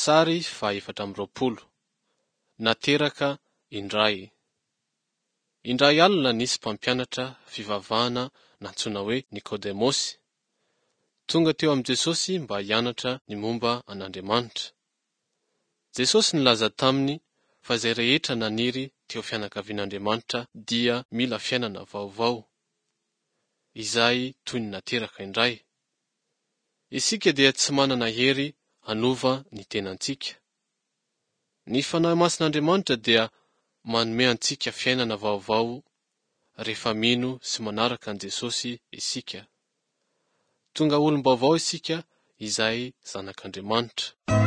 Sary faha 24. Nateraka indray. Indray alina nisy mpampianatra fivavahana nantsoina hoe Nikodemosy. Tonga teo amin'i Jesosy mba hianatra ny momba an'Andriamanitra. Jesosy nilaza taminy fa izay rehetra naniry teo fianakavian'Andriamanitra dia mila fiainana vaovao, izay toy ny nateraka indray. Isika dia tsy manana hery hanova ny tenantsika. Ny Fanahy Masin'Andriamanitra dia manome antsika fiainana vaovao rehefa mino sy manaraka an'i Jesosy isika. Tonga olom-baovao isika izay zanak'Andriamanitra.